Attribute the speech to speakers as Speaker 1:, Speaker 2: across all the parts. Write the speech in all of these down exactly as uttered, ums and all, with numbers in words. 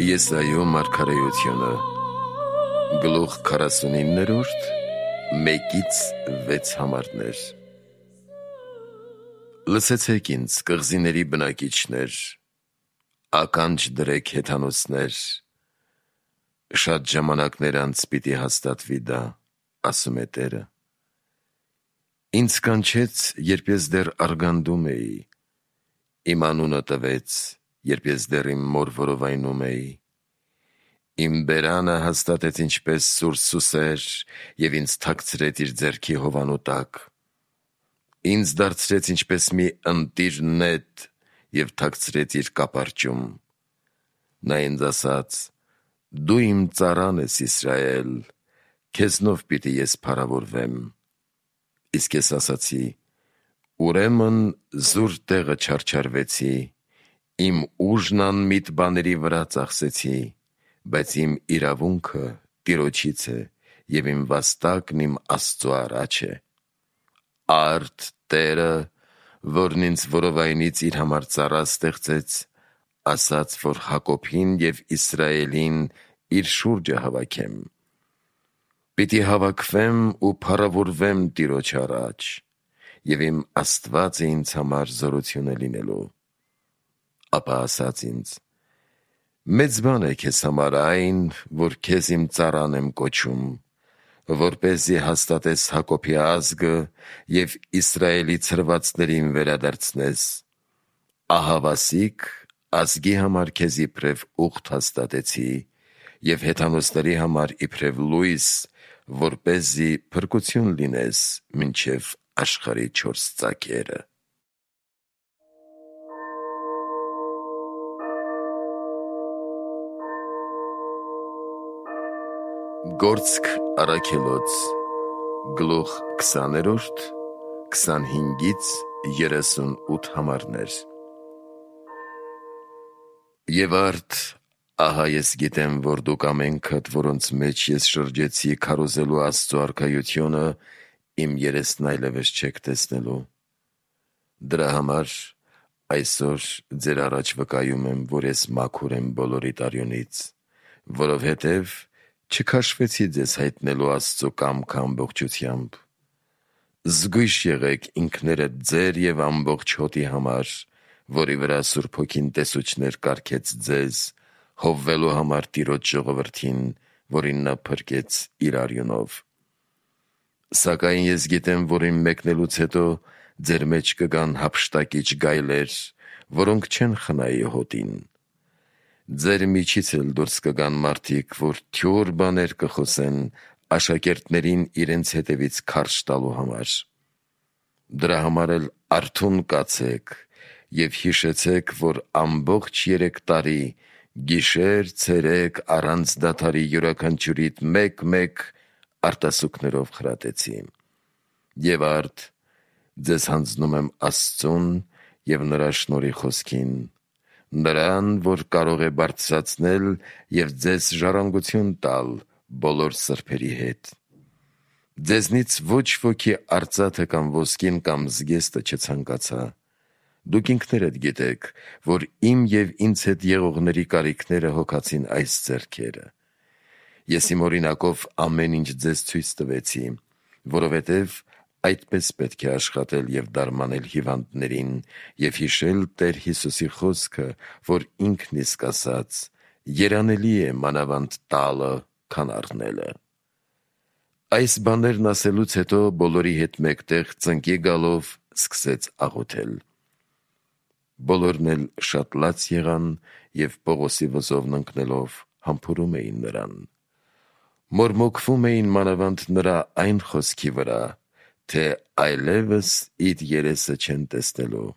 Speaker 1: Եսայո մարգարեությունը գլուխ քառասունիններորդ մեկից վեց համարներ։ Լսեցեք ինձ, կղզիների բնակիչներ, ականջ դրեք հեթանոսներ, շատ ժամանակներ անց պիտի հաստատվի դա, ասում է Տերը։ Ինձ կանչեց, երբ ես դեռ արգանդում էի, իմ անունը տվեց, երբ ես դեռ իմ մոր որովայնում էի, իմ բերանը հաստատեց ինչպես սուր սուսեր և ինձ թաքցրեց իր ձեռքի հովանու տակ, ինձ դարձրեց ինչպես մի ընտիր նետ և թաքցրեց իր կապարճում, նա ինձ ասաց. «Դու իմ ծառան ես, Իսրայել, քեզնով պիտի ես փառավորվեմ»։ Իսկ ես ասացի. «Ուրեմն զուր տեղը չարչարվեցի, իմ ուժն անմիտ բաների վրա ծախսեցի, բայց իմ իրավունքը Տիրոջից է և իմ վաստակն իմ Աստծու առաջ է»։ Արդ Տերը, որն ինձ որովայնից իր համար ծառա ստեղծեց, ասաց, որ Հակոբին և Իսրայելին իր շուրջը հավաքեմ։ Պիտի հավաքվեմ ու փառավորվեմ Տիրոջ առաջ, և իմ Աստվածը ինձ համար զորություն է լինելու։ Ապա ասաց ինձ. «Մեծ բան է քեզ համար այն, որ քեզ իմ ծառան եմ կոչում, որպեսզի հաստատես Հակոբի ազգը և Իսրայելի ցրվածներին վերադարձնես։ Ահավասիկ ազգի համար քեզ իբրև ուղտ հաստատեցի և հեթանոսների համար իբրև լույս, որպեսզի փրկություն լինես մինչև աշխարհի չորս ծագերը»։ Գործք առաքելոց գլուխ քսաներորդ քսանհինգից երեսունութ համարներ։ Եվ արդ, ահա ես գիտեմ, որ դուք ամենքդ, որոնց մեջ ես շրջեցի քարոզելու Աստծու արքայությունը, իմ երեսն այլևս չեք տեսնելու։ Դրա համար այսօր ձեր առաջ վկայում եմ, որ ես մաքուր եմ բոլորիդ արյունից, որովհետև չքաշվեցի ձեզ հայտնելու Աստծու կամքը ամբողջությամբ։ Զգույշ եղեք ինքներդ ձեր և ամբողջ հոտի համար, որի վրա Սուրբ Հոգին տեսուչներ կարգեց ձեզ, հովվելու համար Տիրոջ ժողովրդին, որին նա փրկեց իր արյունով։ Սակայն ես գիտեմ, որ իմ մեկնելուց հետո ձեր մեջ կգան հափշտակիչ գայլեր, որոնք չեն խնայի հոտին։ Ձեր միջից էլ դուրս կգան մարդիկ, որ թյուր բաներ կխոսեն աշակերտներին իրենց հետևից քարշ տալու համար։ Դրա համար էլ արթուն կացեք և հիշեցեք, որ ամբողջ երեք տարի, գիշեր-ցերեկ առանց դադարի յուրաքանչյուրիդ մեկ-մեկ արտասուքներով խրատեցի։ Եվ արդ, ձեզ հանձնում եմ Աստծուն և նրա շնորհի խոսքին, նրան, որ կարող է բարձրացնել և ձեզ ժառանգություն տալ բոլոր սրբերի հետ։ Ձեզնից ոչ ոքի արծաթը կամ ոսկին կամ զգեստը չցանկացա։ Դուք ինքներդ գիտեք, որ իմ և ինձ հետ եղողների կարիքները հոգացին այս ձեռքերը։ Ես իմ օրինակով ամեն ինչ ձեզ ցույց տվեցի, որովհետև այդպես պետք է աշխատել և դարմանել հիվանդներին և հիշել Տեր Հիսուսի խոսքը, որ ինքն իսկ ասաց. «Երանելի է մանավանդ տալը, քան առնելը»։ Այս բաներն ասելուց հետո բոլորի հետ մեկտեղ ծնկի գալով սկսեց աղոթել։ Բոլորն էլ շատ լաց եղան և Պողոսի վզովն ընկնելով համբուրում էին նրան։ Մորմոքվում էին մանավանդ նրա այն խոսքի վրա, թե այլևս իր երեսը չեն տեսնելու,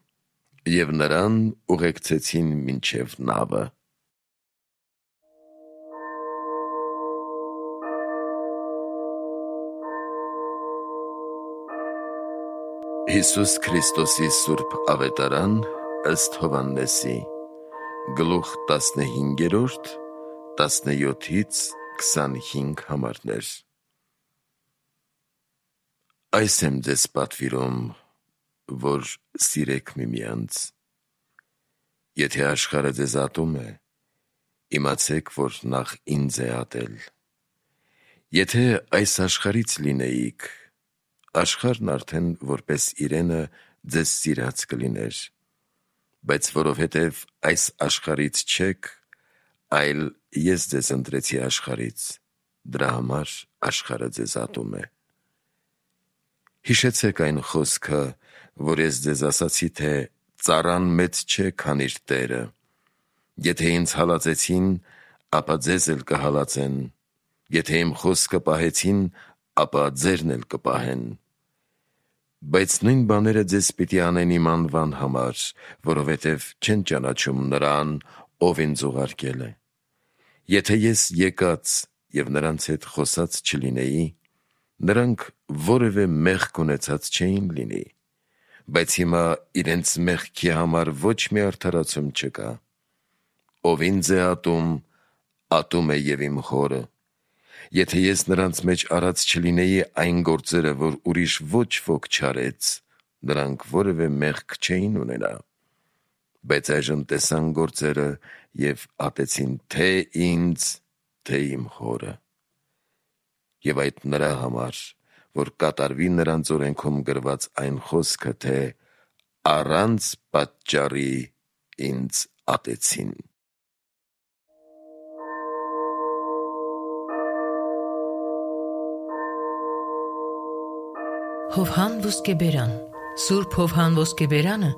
Speaker 1: և նրան ուղեկցեցին մինչև նավը։ Հիսուս Քրիստոսի սուրբ ավետարան ըստ Հովհաննեսի գլուխ տասնհինգերորդ տասնյոթից քսանհինգ համարներ։ Այս եմ ձեզ պատվիրում, որ սիրեք միմյանց։ Եթե աշխարհը ձեզ ատում է, իմացեք, որ նախ ինձ է ատել։ Եթե այս աշխարհից լինեիք, աշխարհն արդեն որպես իրենը ձեզ սիրած կլիներ, բայց որովհետև այս աշխարհից չեք, այլ ես ձեզ ընտրեցի աշխարհից, դրա համար աշխարհը ձեզ ատում է։ Հիշեցեք այն խոսքը, որ ես ձեզ ասացի, թե ծառան մեծ չէ, քան իր տերը։ Եթե ինձ հալածեցին, ապա ձեզ էլ կհալածեն, եթե իմ խոսքը պահեցին, ապա ձերն էլ կպահեն։ Բայց նույն բաները ձեզ պիտի անեն իմ անվան համար, որովհետև չեն ճանաչում նրան, ով ինձ ուղարկել է։ Եթե ես եկած և նրանց հետ խոսած չլինեի, նրանք որևէ մեղք ունեցած չէին լինի, բայց հիմա իրենց մեղքի համար ոչ մի արդարացում չկա։ Ով ինձ է ատում, ատում է և իմ Հորը։ Եթե ես նրանց մեջ արած չլինեի այն գործերը, որ ուրիշ ոչ ոք չարեց, նրանք որևէ մեղք չէին ունենա։ Բայց այժմ տեսան գործերը և ատեցին թե ինձ, թե իմ Հորը։ Եվ այդ նրա համար, որ կատարվի նրանց օրենքում գրված այն խոսքը, թե առանց պատճառի ինձ ատեցին։
Speaker 2: Հովհան Ոսկեբերան Սուրբ Հովհան Ոսկեբերանը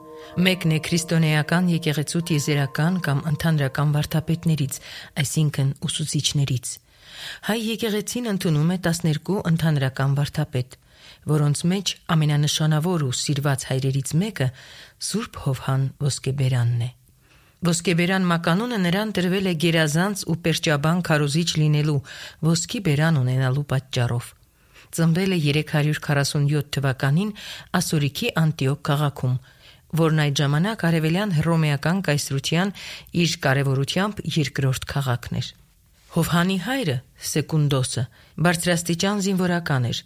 Speaker 2: մեկն է քրիստոնեական եկեղեցու տիեզերական կամ ընդհանրական վարդապետներից, այսինքն ուսուցիչներից։ Հայ եկեղեցին ընդունում է տասներկու ընդհանրական վարդապետ, որոնց մեջ ամենանշանավոր ու սիրված հայրերից մեկը Սուրբ Հովհան Ոսկեբերանն է։ Ոսկեբերան մականունը նրան տրվել է գերազանց ու պերճաբան քարոզիչ լինելու, ոսկի բերան ունենալու պատճառով։ Ծնվել է երեք հարյուր քառասունյոթ թվականին Ասորիքի Անտիոք քաղաքում, որն այդ ժամանակ արևելյան հռոմեական կայսրության իր կարևորությամբ երկրորդ քաղաքն էր։ Հովհանի հայրը Սեկունդոսը բարձրաստիճան զինվորական էր,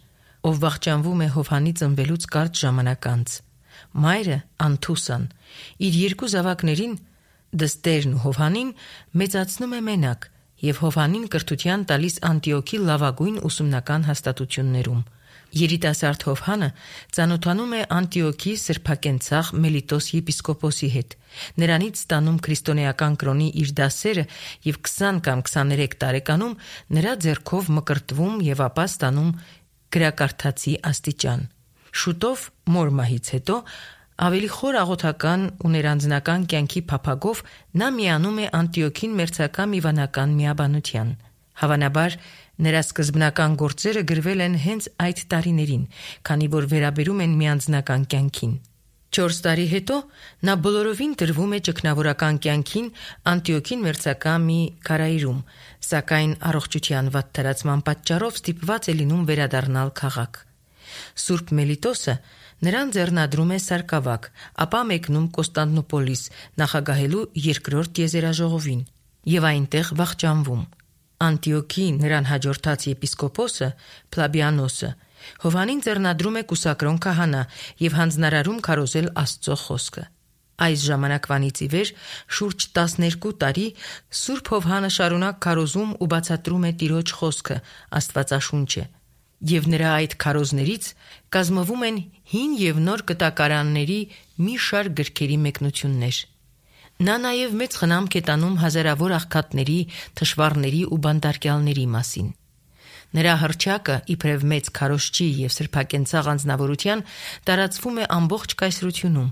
Speaker 2: ով վախճանվում է Հովհանի ծնվելուց կարճ ժամանակ անց։ Մայրը Անթուսան իր երկու զավակներին՝ Դստերն ու Հովհանին, մեծացնում է մենակ և Հովհանին կրթության տալիս Անտիոքի լավագույն ուսումնական հաստատություններում։ Երիտասարդ Հովհանը ծանոթանում է Անտիոքի սրբակենցաղ Մելիտոս եպիսկոպոսի հետ, նրանից ստանում քրիստոնեական կրոնի իր դասերը և քսան կամ քսաներեք տարեկանում նրա ձեռքով մկրտվում և ապա ստանում գրակարդացի աստիճան։ Շուտով, մոր մահից հետո, ավելի խոր աղոթական ու ներանձնական կյանքի փափագով նա միանում է Անտիոքին մերձակա մի վանական միաբանության։ Հավանաբար, նրա սկզբնական գործերը գրվել են հենց այդ տարիներին, քանի որ վերաբերում են միանձնական կյանքին։ Չորս տարի հետո նա բոլորովին տրվում է ճգնավորական կյանքին Անտիոքին մերձակա մի քարայրում, սակայն առողջության վատթարացման պատճառով ստիպված է լինում վերադառնալ քաղաք։ Սուրբ Մելիտոսը նրան ձեռնադրում է սարկավակ, ապա մեկնում Կոստանդնուպոլիս նախագահելու երկրորդ տիեզերաժողովին և այնտեղ վախճանվում։ Անտիոքի նրան հաջորդած եպիսկոպոսը Փլաբիանոսը Հովհանին ձեռնադրում է կուսակրոն քահանա և հանձնարարում քարոզել Աստծո խոսքը։ Այս ժամանակվանից ի վեր շուրջ տասներկու տարի Սուրբ Հովհանը շարունակ քարոզում ու բացատրում է Տիրոջ խոսքը, Աստվածաշունչը, և նրա այդ քարոզներից կազմվում են հին և նոր կտակարանների մի շարք գրքերի մեկնություններ։ Նա նաև մեծ խնամք է տանում հազարավոր աղքատների, թշվառների ու բանտարկյալների մասին։ Նրա հռչակը, իբրև մեծ քարոզչի և սրբակենցաղ անձնավորության, տարածվում է ամբողջ կայսրությունում,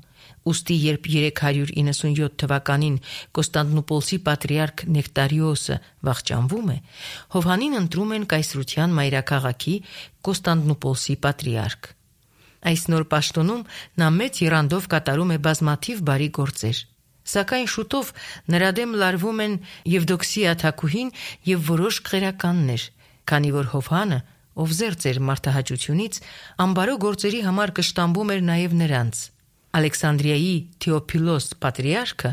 Speaker 2: ուստի երբ երեք հարյուր իննսունյոթ թվականին Կոստանդնուպոլսի պատրիարք Նեկտարիոսը վախճանվում է, Հովհանին ընտրում են կայսրության մայրաքաղաքի Կոստանդնուպոլսի պատրիարք։ Այս նոր պաշտոնում նա մեծ եռանդով կատարում է բազմաթիվ բարի գործեր։ Սակայն շուտով նրա դեմ լարվում են Եվդոքսիա թագուհին և որոշ քղերականներ, քանի որ Հովհանը, ով զերծ էր մարդահաճությունից, ամբարո գործերի համար կշտամբում էր նաև նրանց։ Ալեքսանդրիայի Թեոփիլոս պատրիարքը,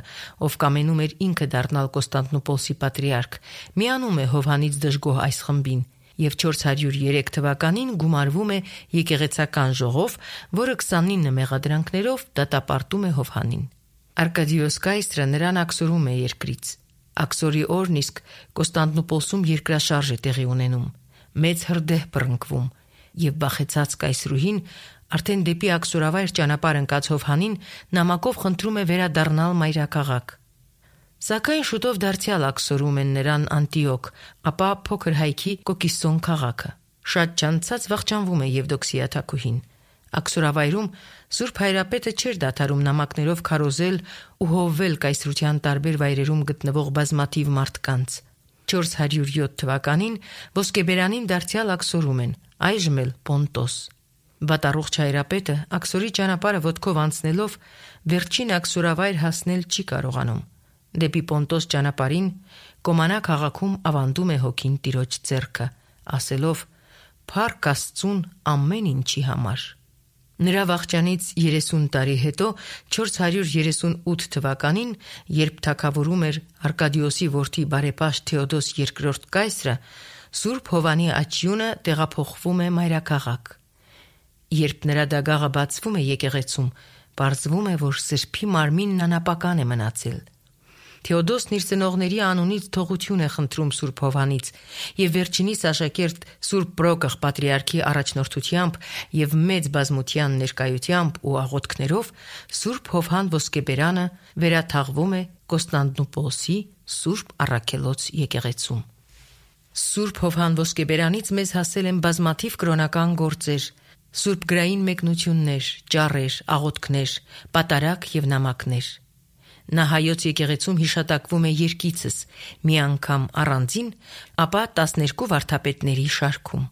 Speaker 2: ով կամենում էր ինքը դառնալ Կոստանդնուպոլսի պատրիարք, միանում է Հովհանից դժգոհ այս խմբին և չորս հարյուր երեք թվականին գումարվում է եկեղեցական ժողով, որը քսանինը մեղադրանքներով դատապարտում է Հովհանին։ Արկադիոս կայսրը նրան աքսորում է երկրից։ Աքսորի օրն իսկ Կոստանդնուպոլսում երկրաշարժ է տեղի ունենում, մեծ հրդեհ բռնկվում, եւ բախեցած կայսրուհին արդեն դեպի աքսորավայր ճանապարհ ընկած Հովհանին նամակով խնդրում է վերադառնալ մայրաքաղաք։ Սակայն շուտով դարձյալ աքսորում են նրան Անտիոք, ապա փոքր հայքի Կոկիսոն քաղաքը։ Շատ չանցած վախճանվում է Եվդոքսիա թագուհին։ Աքսորավայրում Սուրբ Հայրապետը չէր դադարում նամակներով քարոզել ու հովվել կայսրության տարբեր վայրերում գտնվող բազմաթիվ մարդկանց։ չորս հարյուր յոթ թվականին ոսկեբերանին դարձյալ աքսորում են, այժմ էլ Պոնտոս։ Վատառողջ Հայրապետը աքսորի ճանապարհը ոտքով անցնելով վերջին աքսորավայր հասնել չի կարողանում։ Դեպի Պոնտոս ճանապարհին Կոմանա քաղաքում ավանդում է հոգին տիրոջ ձեռքը, ասելով. «Փառք Աստծուն ամեն ինչի համար»։ Նրա վախճանից երեսուն տարի հետո չորս հարյուր երեսունութ թվականին, երբ թագավորում էր Արկադիոսի որդի բարեպաշտ Թեոդոս երկրորդ կայսրը, Սուրբ Հովանի աչյունը տեղափոխվում է մայրաքաղաք։ Երբ նրա դագաղը բացվում է եկեղեցում, պարզվում է, որ սրբի մարմինն անապական է մնացել։ Թեոդոսն իր ծնողների անունից թողություն է խնդրում Սուրբ Հովանից եւ վերջինիս աշակերտ Սուրբ Պրոկղ պատրիարքի առաջնորդությամբ եւ մեծ բազմության ներկայությամբ ու աղոթքներով Սուրբ Հովհան ոսկեբերանը վերաթաղվում է Կոստանդնուպոլսի Սուրբ Առաքելոց եկեղեցում։ Սուրբ Հովհան ոսկեբերանից մեզ հասել են բազմաթիվ կրոնական գործեր, սուրբ գրային մեկնություններ, ճառեր, աղոթքներ, պատարագ եւ նամակներ։ Նա հայոց եկեղեցում հիշատակվում է երկիցս, մի անգամ առանձին, ապա տասներկու վարդապետների շարքում։